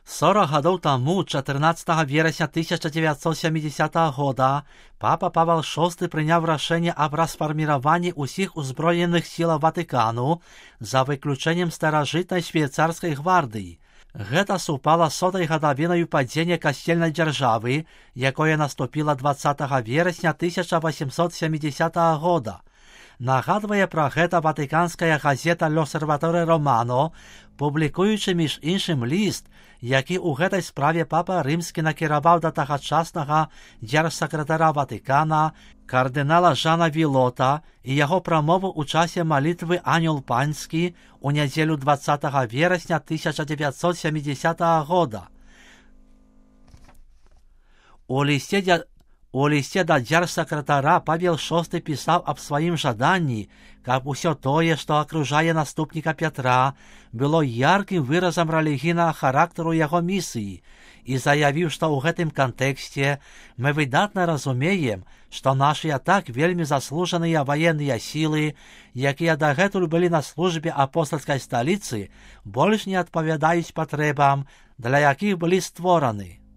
40 гадоў таму, 14 верасня 1970 года, папа Павел VI прыняў рашэнне аб расфарміраванні ўсіх узброеных сілаў Ватыкану за выключэннем старажытнай швейцарскай гвардыі. Гэта супала з 100-й гадавінаю падзення касцельнай дзяржавы, якое наступіла 20 верасня 1870 года. Нагадвае пра гэта ватыканская газета «L'Osservatore Romano», публікуючы між іншым ліст, які ў гэтай справе папа рымскі накіраваў да тагачаснага дзяржсакратара Ватыкана кардынала Жана Вілота і яго прамову ў часе малітвы «Анёл панскі» у нядзелю 20 верасня 1970 года. У лісце да дзяржсакратара Павел VI пісаў аб сваім жаданні, каб усё тое, што акружае наступніка Пятра, было яркім выразам рэлігійнага характару яго місіі, і заявіў, што ў гэтым кантэксце мы выдатна разумеем, што нашыя так вельмі заслужаныя ваенныя сілы, якія дагэтуль былі на службе апостальскай сталіцы, больш не адпавядаюць патрэбам, для якіх былі створаны.